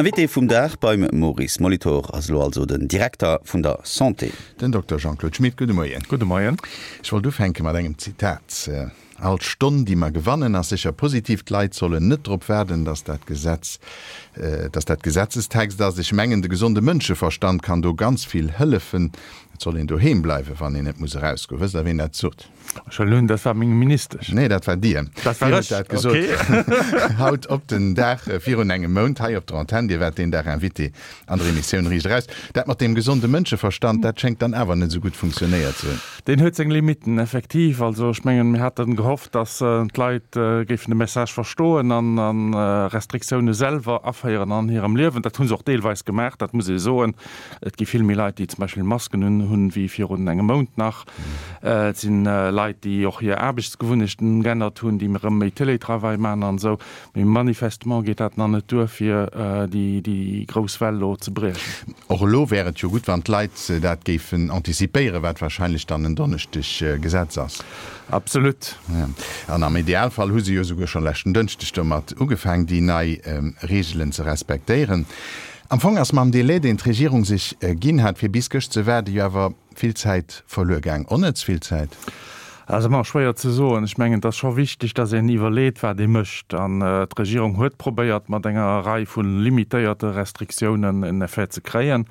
Invité vum Dag beim Maurice Molitor ass elo also den Direkter vun der Santé. Den Dokter Jean-Claude Schmit, gudde Moien. Gudde Moien. Ech wollt ufänke mat engem Zitat. All Stonn, déi mer gewannen, ass sécher positiv. D'Leit sollen net drop waarden, datt dat Gesetz, datt dat Gesetzestext ass. Ech mengen, de gesonde Mënscheverstand kann do ganz vill hëllefen. Et soll een doheem bleiwen, wann een net muss erausgoen. Wësst Der, ween dat sot? Ech hunn, dat war meng Ministesch. Nee, dat war Dir. Dat war ech? Dat gesot. Okay. Haut op den Dag virun engem Mount hei op der Antenn. Dir waart deen Dag Invité an der Emissioun Riicht Eraus. Dat mat deem gesonde Mënscheverstand, dat schéngt dann awer net esou gutt funktionéiert ze hunn. Deen huet seng Limitten, effektiv. Also ech mengen, mir haten gehofft, datt d'Leit géifen de Message verstoen an Restriktioune selwer aféieren an hirem Liewen. Dat hu se och deelweis gemaach, dat muss ee soen. Et gi vill méi Leit, déi zum Beispill Masken un hunn, wéi virun engem Mount nach. Et si Leit, déi och hir Aarbechtsgewunnechten geännert hunn, déi erëm méi Télétravail maachen an esou. Mee manifestement geet dat nach net duer, fir déi grouss Well elo ze briechen. Och elo wär et jo gutt, wann d'Leit dat géifen antizipéieren, wat wahrscheinlech dann en Donneschdeg Gesetz ass. Absolut. An am Idealfall hu se jo esouguer scho leschten Dënschdeg domat ugefaang, déi nei Reegelen ze respektéieren. Am Fong ass mam Delai, deen d'Regierung sech ginn hat, fir bis gëscht ze waarden, jo awer vill Zäit verluer gaang. Onnëtz vill Zäit? Dat ass ëmmer schwéier ze soen. Ech mengen, et ass scho wichteg, datt een iwwerleet, wat ee mécht. An d'Regierung huet probéiert, mat enger Rei vu limitéierte Restriktiounen en Effet ze kréien.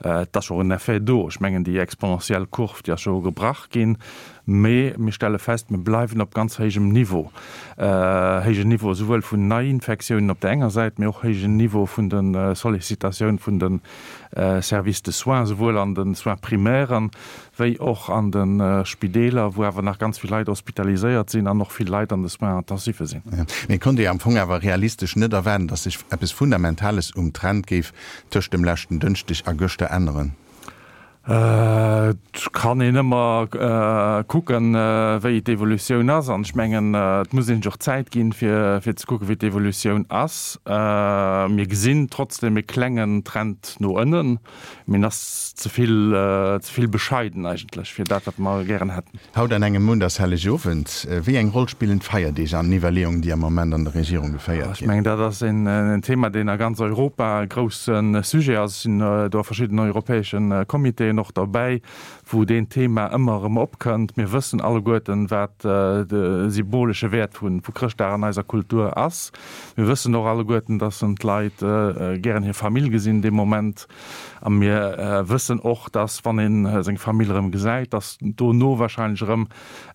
Et ass och en Effet do. Ech mengen, déi exponentiell Kurv, déi ass jo gebrach ginn. Mee mir stelle fest, mir bleiwen op ganz héijem Niveau. Héijen Niveau esouwuel vun Neiinfektiounen op der enger Säit, mee och héijen Niveau vun de Sollicitatioun vun de Services de soins, esouwuel an de Soins primaires wéi och an de Spideeler, wou awer nach ganz vill Leit hospitaliséiert sinn an och vill Leit an de Soins intensifs sinn. Mee et konnt ee am Fong awer realistesch net erwaarden, datt sech eppes Fundamentales um Trend géif tëscht dem leschten Dënschdeg a gëschter änneren. Et kann een ëmmer kucken, wéi d'Evolutioun ass. An ech mengen, et muss een sech och Zäit ginn, fir ze kucken, wéi d'Evolutioun ass. Mir gesinn trotzdem e klengen Trend no ënnen, mee en ass ze vill, ze vill bescheiden eigentlech fir dat, wat mer gären hätten. Haut an engem Mount ass Hellegowend. Wéi eng Roll spillen d'Feierdeeg an den Iwwerleeungen, déi am Moment an der Regierung geféiert ginn? Ech mengen, dat ass en Thema, deen a ganz Europa e grousse Sujet ass. Ech sinn do a verschiddenen europäesche Comitéen och derbäi, wou deen Thema ëmmer erëm opkënnt. Mir wëssen alleguerten, wat de symbolesche Wäert vu Chrëschtdag an eiser Kultur ass. Mir wëssen och alleguerten, dass d'Leit gären hir Famill gesinn dee Moment. A mir wëssen och, dass, wann ee seng Famill erëm gesäit, dass dono wahrscheinlech erëm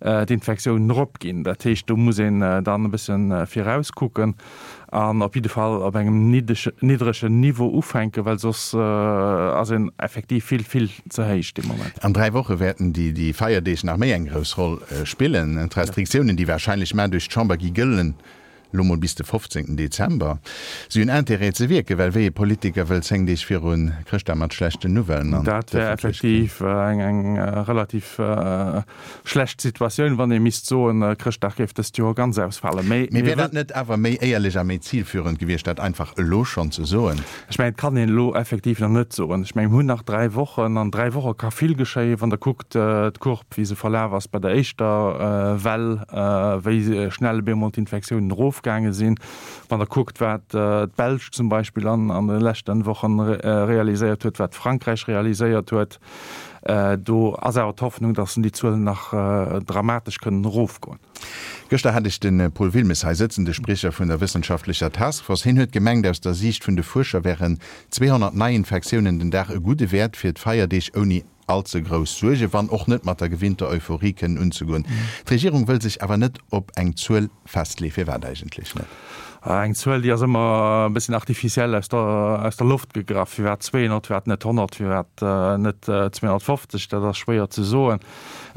d'Infektiounen eropginn. Dat heescht, do muss een dann e bësse virauskucken an op jidde Fall op engem niddregen Niveau ufänken, well soss ass een effektiv vill, vill ze héich dee Moment. An 3 Woche wäerten déi Feierdeeg nach méi eng grouss Roll spillen. D'Restriktiounen, déi wahrscheinlech mar duerch d'Chamber gi gëllen, Lo mol bis de 15 Dezember. Si hunn Intérêt ze wierken, well wéi ee Politiker wëll 10 Deeg viru Chrëschtdag mat schlechten Nouvellen an Dat wär d'Ëffentlechkeet? effektiv eng relativ schlecht Situatioun, wann ee misst soen, Chrëschtdag géif dëst Joer ganz ausfalen. Mee Mee wär dat net awer méi éierlech a méi zilführend gewiescht, dat einfach elo schonn ze soen? Ech mengen, et kann een elo effektiv nach net soen. Ech mengen, mir hunn nach 3 Wochen. An 3 Woche ka vill geschéien, wann Der kuckt d'Courbe, wéi se verlaf ass bei der éischter Well, wéi schnell op eemol d'Infektiounen erofgaange sinn. Wann Der kuckt, wat d'Belsch zum Beispill an de leschte Wochen realiséiert huet, wat Frankräich realiséiert huet, do ass awer d'Hoffnung, datt déi Zuelen nach dramatesch kënnen erofgoen. Gëschter hat ech de Paul Wilmes hei sëtzen, de Spriecher vun der wëssenschaftlecher Taskforce. Hien huet gemengt, aus der Siicht vun de Fuerscher wären 200 Neiinfektiounen den Dag e gudde Wäert fir d'Feierdeeg ouni all ze grouss Suergen, wann och net mat der gewinnter Euphorie kënnen unzegoen. D'Regierung wëll sech awer net op eng Zuel festleeën. Firwat eigentlech net? Eng Zuel, déi ass ëmmer e bësschen artificiell aus der, aus der Loft gegraff. Firwat 200, firwat net 100, firwat net 250, dat ass schwéier ze soen.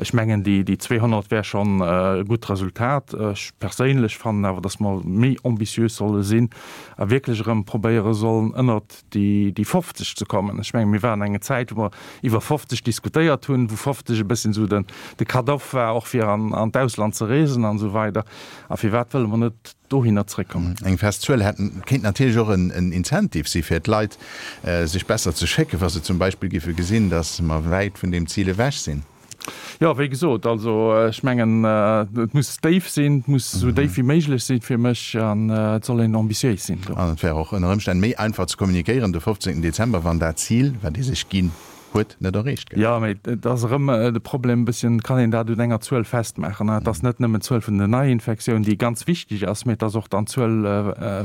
Ech mengen, déi, déi 200 wär schonn e gutt Resultat. Ech perséinlech fannen awer, datt mer méi ambitiös solle sinn a wierklech erëm probéiere sollen, ënnert déi 50 ze kommen. Ech mengen, mir waren eng Zäit, wou mer iwwer 50 diskutéiert hunn, wou 50 e bësschen esou den, de Cut-off war, och fir an, an d'Ausland ze reesen an esou weider. A firwat wëlle mer net dohinner zréckkommen? Eng fest Zuel hätt, kéint natierlech och en, en Incentive si fir d'Leit, sech besser ze schécken, wa se zum Beispill géife gesinn, datt mer wäit vun deem Zil ewech sinn. Jo, wéi gesot, also ech mengen, et muss déif sinn, et muss esou déif wéi méiglech sinn fir mech an et soll een ambitiéis sinn do. An et wär och ënner Ëmstänn méi einfach ze kommunikéieren de 15 Dezember, wann dat Zil, wat ee sech ginn huet, net erreecht gëtt. Jo, mee et ass erëm de Problem e bësschen, kann een dat un enger Zuel festmaachen? Et ass net nëmmen d'Zuel vun den Neiinfektiounen, déi ganz wichteg ass, mee et ass och dann d'Zuel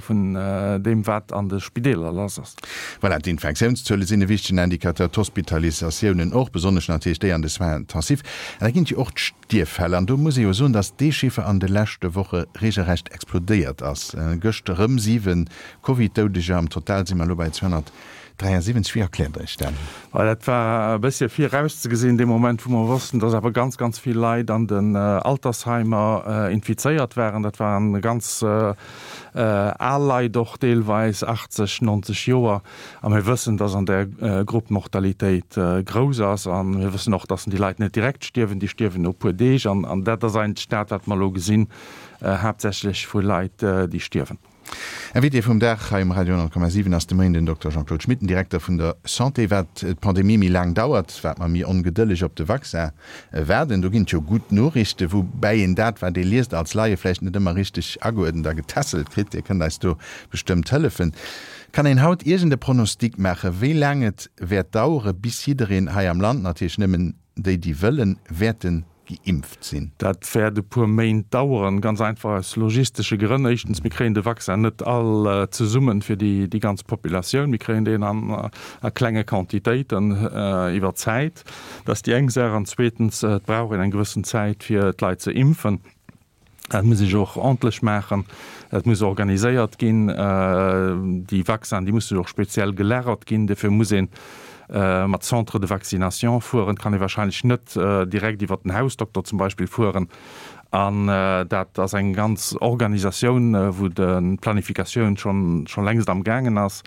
vun deem, wat an de Spideeler lass ass. Voilà, d'Infektiounszuele sinn e wichtegen Indicateur, d'Hospitalisatiounen och, besonnesch natierlech déi an de Soins intensifs. An da ginn et jo och d'Stierffäll. An do muss ee jo soen, datt dee Chiffer an de leschte Woche reegelrecht explodéiert ass. Gëscht erëm 7 Covid-Doudeger, am Total si mer elo bei 273. Wéi erkläert Der Iech dat? Well dat war e bëssche virauszegesinn, dee Moment, wou mer wossten, datt awer ganz, ganz vill Leit an den Altersheimer infizéiert waren. Dat waren ganz Al Leit och deelweis, 80, 90 Joer. A mir wëssen, dass an där Grupp d'Mortalitéit grouss ass. A mir wëssen och, dass déi Leit net direkt stierwen, déi stierwen no e puer Deeg. An dat ass eigentlech dat, wat mer elo gesinn, haaptsächlech vu Leit, déi stierwen. Invité vum Dag hei um Radio 10,7 ass de Moien den Dokter Jean-Claude Schmit, den Direkter vun der Santé. Wat d'Pandemie méi laang dauert, wat mer méi ongedëlleg op de Vaccin Waarden, do ginn et jo gutt Noriichten, woubäi een dat, wat ee liest, als Laie vläicht net ëmmer richteg ageuerdent a getässelt kritt. Dir kënnt eis do bestëmmt hëllefen. Kann een haut iergend e Pronostic maachen, wéi laang et wäert dauere bis jiddereen hei am Land, natierlech nëmmen déi, déi wëllen, wäerte geimpft sinn? Dat wäert e puer Méint daueren, ganz einfach aus logistesche Grënn. Éischtens, mir kréien de Vaccin net all zesummen fir déi ganz Populatioun. Mir kréien deen a klenge Quantitéiten iwwer d'Zäit. Dat ass déi eng Saach. An zweetens, et brauch een eng gewëssen Zäit, fir d'Leit ze impfen. Dat muss ech och ordentlech maachen. Dat muss organiséiert ginn. Déi Vaccinen, déi musse jo och speziell gelagert ginn. Dofir muss ee mat Centres de vaccination fueren. Et kann ee wahrscheinlech net direkt iwwert den Hausdokter zum Beispill fueren. An dat ass eng ganz Organisatioun, wou d'Planifikatioun scho längst amgaangen ass.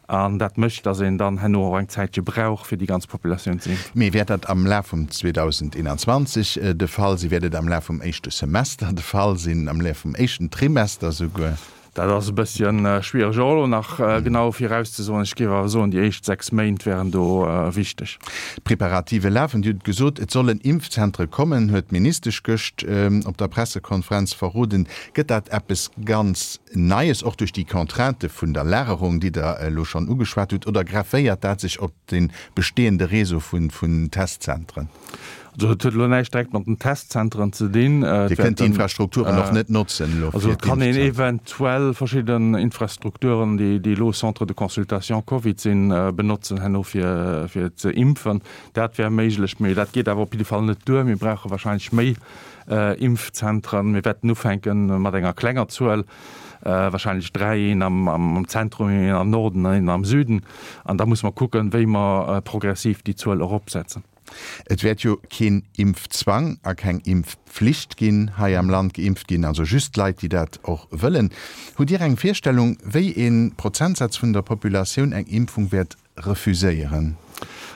An dat mécht, datt een dann herno och eng Zäitche brauch, fir déi ganz Populatioun ze impfen. Mee wäert dat am Laf vum 2021 de Fall sinn? Wäert et am Laf vum éischte Semester de Fall sinn, am Laf vum éischten Trimester souguer? Dat ass e bësschen schwiereg och elo nach genau virauszesoen. Ech géif awer soen, déi éischt 6 Méint wären do wichteg. D'Preparative lafen. Dir hutt gesot, et sollen Impfzentre kommen, huet d'Ministesch gëscht op der Pressekonferenz verroden. Gëtt dat eppes ganz Neies, och duerch déi Contrainte vun der Lagerung, déi Der elo schonn ugeschwat hutt, oder grefféiert dat sech op de bestehende Réseau vun Testzentren? Also et huet elo näischt direkt mat den Testzentren ze dinn. Dir kënnt déi Infrastrukturen och net notzen elo fir d'Impfzentren? Also et kann een eventuell verschidden Infrastrukturen, déi elo Centres de consultation Covid sinn, benotzen herno fir ze impfen. Dat wär méiglech, mee dat geet awer op jidde Fall net duer. Mir brauche wahrscheinlech méi Impfzentren. Mir wäerten ufänke mat enger klenger Zuel, wahrscheinlech 3, een am Zentrum, een am Norden an een am Süden. An da musse mer kucken, wéi mer progressiv déi Zuel eropsetzen. Et wäert jo keen Impfzwang a keng Impfpflicht ginn hei am Land. Geimpft ginn also just d'Leit, déi dat och wëllen. Hutt Dir eng Virstellung, wéi ee Prozentsaz vun der Populatioun eng Impfung wäert refuséieren?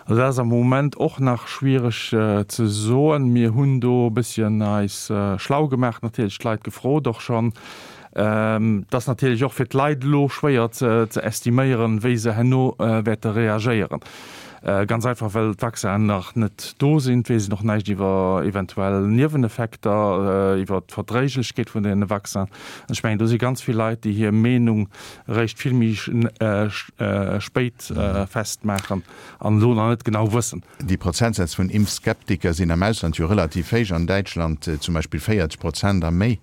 Also dat ass am Moment och nach schwiereg ze soen. Mir hunn do e bësschen eis schlau gemaach, natierlech d'Leit gefrot och schonn. Et ass natierlech och fir d'Leit elo schwéier ze estiméieren, wéi se herno wäerte reagéieren. Ganz einfach, well d'Vaccinen nach net do sinn. Et weess een och näischt iwwer eventuell Nieweneffekter, iwwer d'Verdréiglechkeet vun deene Vaccinen. Ech mengen, do si ganz vill Leit, déi hir Meenung eréischt vill méi spéit festmaachen an elo nach net genau wëssen. Déi Prozentsätz vun Impfskeptiker sinn am Ausland jo relativ héich, an Däitschland zum Beispill 40 Prozent a méi.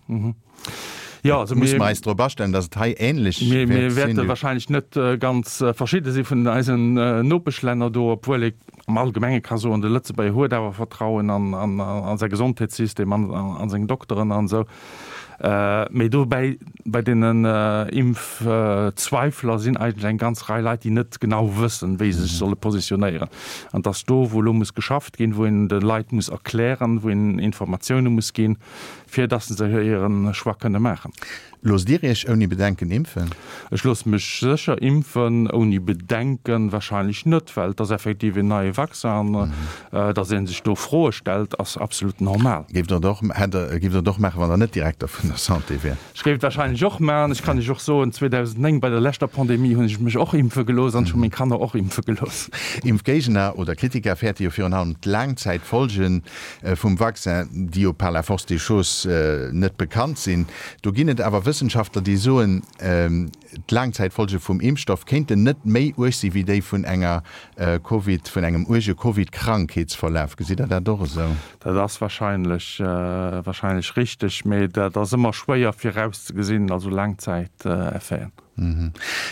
Jo, also Musse mer eis drop astellen, datt et hei änlech wäert sinn? Mir wäerte wahrscheinlech net ganz verschidde si vun eisen Nopeschlänner do, obwuel ee am Allgemenge ka soen, de Lëtzebuerger huet awer Vertrauen an säi Gesondheetssystem, an seng Dokteren an esou. Mee dobäi, bei deenen Impfzweifler sinn eigentlech eng ganz Rei Leit, déi net genau wëssen, wéi se sech solle positionéieren. An et ass do, wou elo muss geschafft ginn, wou een de Leit muss erklären, wou een Informatioune muss ginn, fir dass se hire Choix kënne maachen. Loosst Dir Iech ouni Bedenken impfen? Ech loosse mech sécher impfen, ouni Bedenken wahrscheinlech net, well et ass effektiv een neie Vaccin an dass ee sech do Froe stellt, ass absolut normal. Géift Der et och, hätt Der, géift Der et och maachen, wann Der net Direkter vun. der Santé wär. Ech géif et warscheinlech och maachen. Ech kann Iech och soen, 2009 bei der leschter Pandemie hunn ech mech och impfe gelooss an ech hu meng Kanner och impfe gelooss. Impfgéigner oder Kritiker fäerte jo virun allem d'Laangzäitfolgen vum Vaccin, déi jo par la force des choses net bekannt sinn. Do ginn et awer Wëssenschaftler, déi soen, D'Laangzäitfolge vum Impfstoff kéinten net méi uerg si wéi déi vun enger Covid, vun engem uerge Covid-Krankheetsverlaf. Gesitt Der dat och esou? Dat ass wahrscheinlech, wahrscheinlech richteg, mee dat ass ëmmer schwéier virauszegesinn, also Laangzäiteffeten.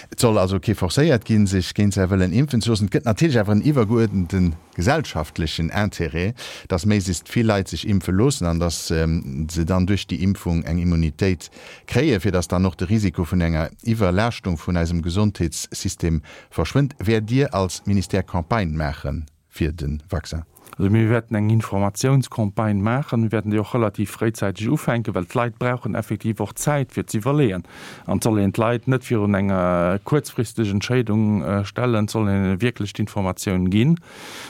Et soll also kee forcéiert ginn, sech géint säi Wëllen impfen ze loossen. Et gëtt natierlech awer en iwwergeuerdente gesellschaftlechen Intérêt, dass méiglechst vill Leit sech impfe loossen an dass se dann duerch déi Impfung eng Immunitéit Kréien, fir dass dann och de Risiko vun enger Iwwerlaaschtung vun eisem Gesondheetssystem verschwënnt. Wäert Dir als Ministère Campagne maache fir de Vaccin? Also mir wäerten eng Informatiounscampagne maachen. Mir wäerten déi och relativ fréizäiteg ufänken, well d'Leit brauchen effektiv och Zäit fir ze iwwerleeën. An et soll een d'Leit net virun eng kuerzfristeg Entscheedung stellen, et soll een hinne wierklech d'Informatioun ginn,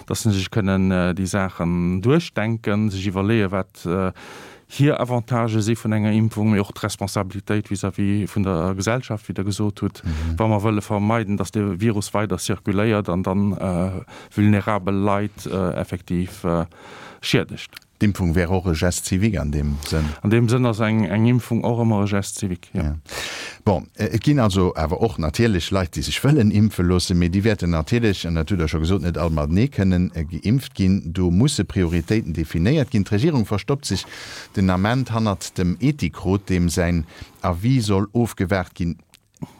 dass se sech kënnen déi Saachen duerchdenken, sech iwwerleeën, wat hir Avantagë si vun enger Impfung, mee och d'Responsabilitéit vis-à-vis vun der Gesellschaft, wéi Der gesot hutt, wa mer wëlle vermeiden, dass de Virus weider zirkuléiert an dann vulnerabel Leit effektiv schiedegt. D'Impfung wär och e Geste civique an deem Sënn? An deem Sënn ass eng Impfung och ëmmer e Geste civique, jo. Bon, et ginn also awer och natierlech Leit, déi sech wëllen impfe loossen, mee déi wäerten natierlech, an dat hutt Der scho gesot, net all matenee kënnen geimpft ginn. Do musse Prioritéiten definéiert ginn. D'Regierung verstoppt sech den Ament hannert dem Ethikrot, deem säin Avis soll ofgewaart ginn.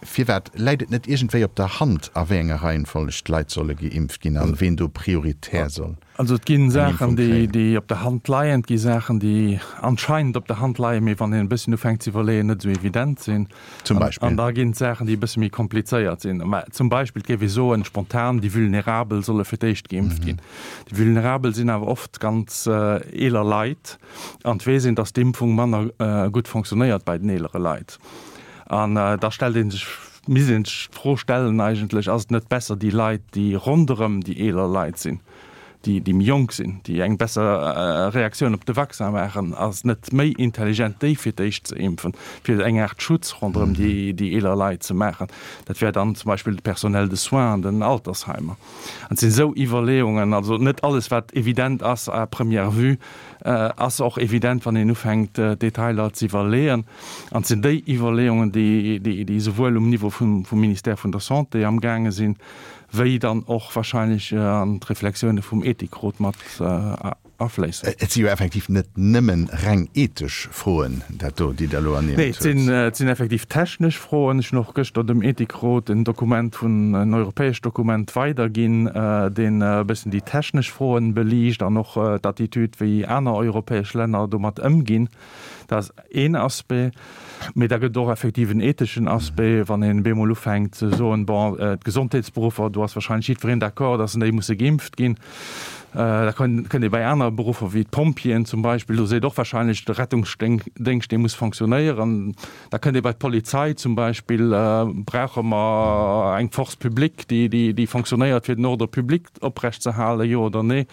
Firwat läit et net iergendwéi op der Hand, a wéi enger Reihenfolleg d'Leit solle geimpft ginn an ween do prioritär soll Also et ginn Saachen, déi op der Hand leien, et gi Saachen, déi anscheinend op der Hand leien, mee wann een e bësschen ufänkt ze iwwerleeën, net esou evident sinn. Zum Beispill? An da ginn et Saachen, déi e bësse méi komplizéiert sinn. Mä zum Beispill, et géif ee soen, spontan, déi Vulnerabel solle fir d'éischt geimpft ginn. Déi Vulnerabel sinn awer oft ganz eeler Leit an et weess een, datt d'Impfung manner gutt fonctionnéiert bei den eelere Leit. An da stellt ee sech, misst ee sech d'Fro stellen eigentlech, ass et net besser déi Leit, déi ronderëm déi eeler Leit sinn, déi déi méi jonk sinn, déi eng besser Reaktioun op de Vaccin maachen, ass et net méi intelligent déi fir d'éischt ze impfen, fir eng Aart Schutz ronderëm déi déi eeler Leit ze maachen? Dat wär dann zum Beispill de Personnel de soins an den Altersheimer. An et sinn esou Iwwerleeungen, also net alles wat evident ass à première vue ass och evident wann een ufänkt d'Detailer ze iwwerleeën. An et sinn déi Iwwerleeungen, déi souwuel um Niveau vum Ministère vun der Santé amgaange sinn, wéi dann och wahrscheinlech an d'Reflexioune vum Ethikrot mat afléissen. Et si jo effektiv net nëmme reng ethesch Froen, dat do, déi Der elo ernimmt hutt. Nee, et sinn effektiv technesch Froen. Ech hunn och gëschter dem Ethikrot en Dokument vun, en europäescht Dokument weiderginn, deen e bëssen déi technesch Froen beliicht an och d'Attitüd, wéi aner europäesch Länner domat ëmginn. Dat ass een Aspect. Mee da gëtt et och effektiv en etheschen Aspect, wann een bemol ufänkt ze soen, bon, d'Gesondheetsberuffer, do ass wahrscheinlech jiddwereen d'accord, dass déi musse geimpft ginn. Da kënnt ee bei aner Beruffer wéi d'Pompjeeën zum Beispill, do seet och wahrscheinlech de Rettungsdéngscht, dee muss fonctionnéieren. Da kënnt ee bei d'Polizei zum Beispill, brauche mer eng Force publique, déi fonctionnéiert, fir den Ordre public oprecht ze halen, jo oder nee?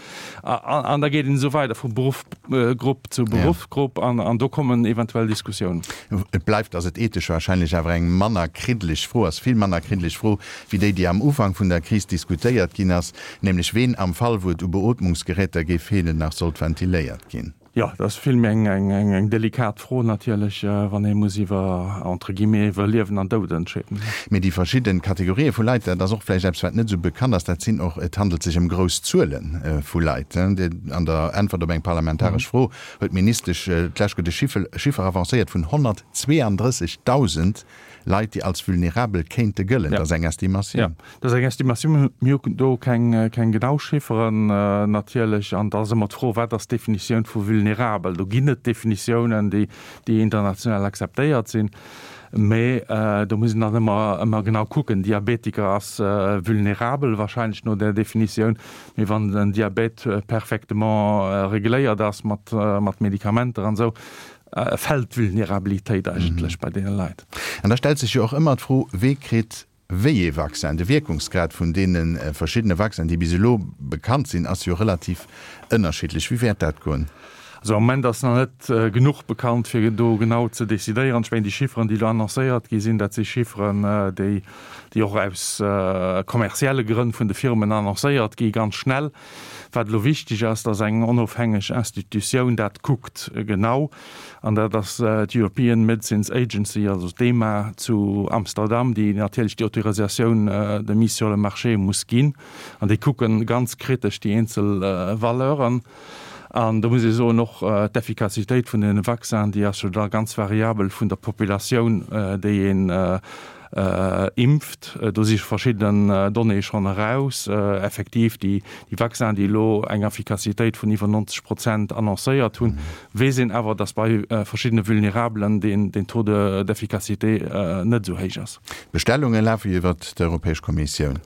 An da geet een esou weider vu Beruffgrupp zu Beruffsgrupp an do kommen eventuell Diskussiounen. Et bleift, datt et ethesch wahrscheinlech awer eng manner kriddeleg Fro ass, vill manner kriddeleg Fro wéi déi, déi am Ufank vun der Kris diskutéiert ginn ass, nämlech ween am Fall, wou et u Beootmungsgeräter géif feelen, nach sollt ventiléiert ginn. Jo, dat ass vill méi eng delikat Fro natierlech, wann ee muss iwwer, entre guillemets, iwwer Liewen an Doud entscheeden. Mee déi verschidde Kategorië vu Leit, dat ass och vläicht eppes, wat net esou bekannt ass, dat sinn och, et handelt sech ëm grouss Zuele vu Leit. An der Äntwert op eng parlamentaresch Fro huet d'Ministesch d'lescht de Chiffer avancéiert vun 132.000 Leit, déi als vulnerabel kéinte gëllen. Dat ass eng Estimatioun. Jo, dat ass eng Estimatioun. Mir hu do keng genau Chifferen natierlech. An da ass ëmmer d'Fro, Wat ass d'Definitioun vu vulnerabel? Do ginn et Definitiounen, déi international akzeptéiert sinn. Mä do muss een dann ëmmer, ëmmer genau kucken. Diabetiker ass vulnerabel wahrscheinlech no där Definitioun. Mee wann den Diabet perfectement regléiert ass mat Medikamenter an esou, fält d'Vulnerabilitéit eigentlech bei deene Leit. An da stellt sech jo och ëmmer d'Fro, Wee kritt wéi ee Vaccin? De Wierkungsgrad vun deene verschiddene Vaccinen, déi bis elo bekannt sinn, ass jo relativ ënnerschiddlech. Wéi wäert dat goen? Also am Moment ass nach net genuch bekannt, fir do genau ze decidéieren. Ech mengen, déi Chifferen, déi elo annoncéiert gi sinn, dat si Chifferen, déi, déi och aus kommerzielle Grënn vun de Firmen annoncéiert gi ganz schnell. Wat elo wichteg ass, datt eng onofhängeg Institutioun dat kuckt genau, an dat ass d'European Medicines Agency, also d'EMA zu Amsterdam, déi natierlech déi Autorisatioun de mise sur le marché muss ginn. An déi kucke ganz kritesch déi eenzel Valeuren. An do muss ee soen, och d'Effikassitéit vun deene Vaccinen, déi ass jo da ganz variabel vun der Populatioun, déi een impft. Do si verschidden Donnéeë schonn eraus. Effektiv, déi Vaccinen, déi elo eng Effikassitéit vun iwwer 90 Prozent annoncéiert hunn, weess een awer, datt bei verschiddene Vulnerabelen deen Taux d'efficacité net esou héich ass. D'Bestellunge lafe jo iwwert d'Europäesch Kommissioun.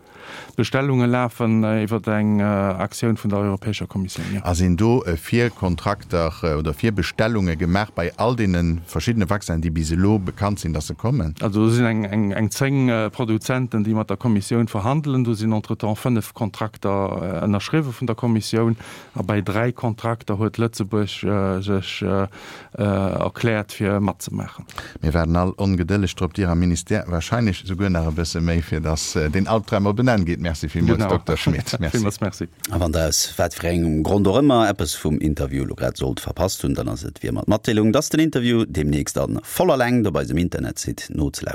D'Bestellunge lafen iwwer eng Aktioun vun der Europäescher Kommissioun, jo. A sinn do Virkontrakter oder Virbestellunge gemaach bei all deene verschiddene Vaccinen, déi bis elo bekannt sinn, dass se kommen? Also do sinn eng 10 Produzenten, déi mat der Kommissioun verhandelen. Do sinn entretemps 5 Kontrakter ënnerschriwwe vun der Kommissioun. A bei 3 Kontrakter huet Lëtzebuerg sech erkläert fir matzemaachen. Mir waarden all ongedëlleg drop, Dir am Ministère wahrscheinlech souguer nach e bësse méi, fir dass deen Albdram op en Enn geet. Merci villmools, Dokter Schmit. Merci. Villmools Merci. A wann Der aus wat fir engem Grond och ëmmer eppes vum Interview elo grad sollt verpasst hunn, dann ass et wéi ëmmer d'Matdeelung, dass den Interview deemnächst a voller Längt op eisem Internetsite nozelauschteren.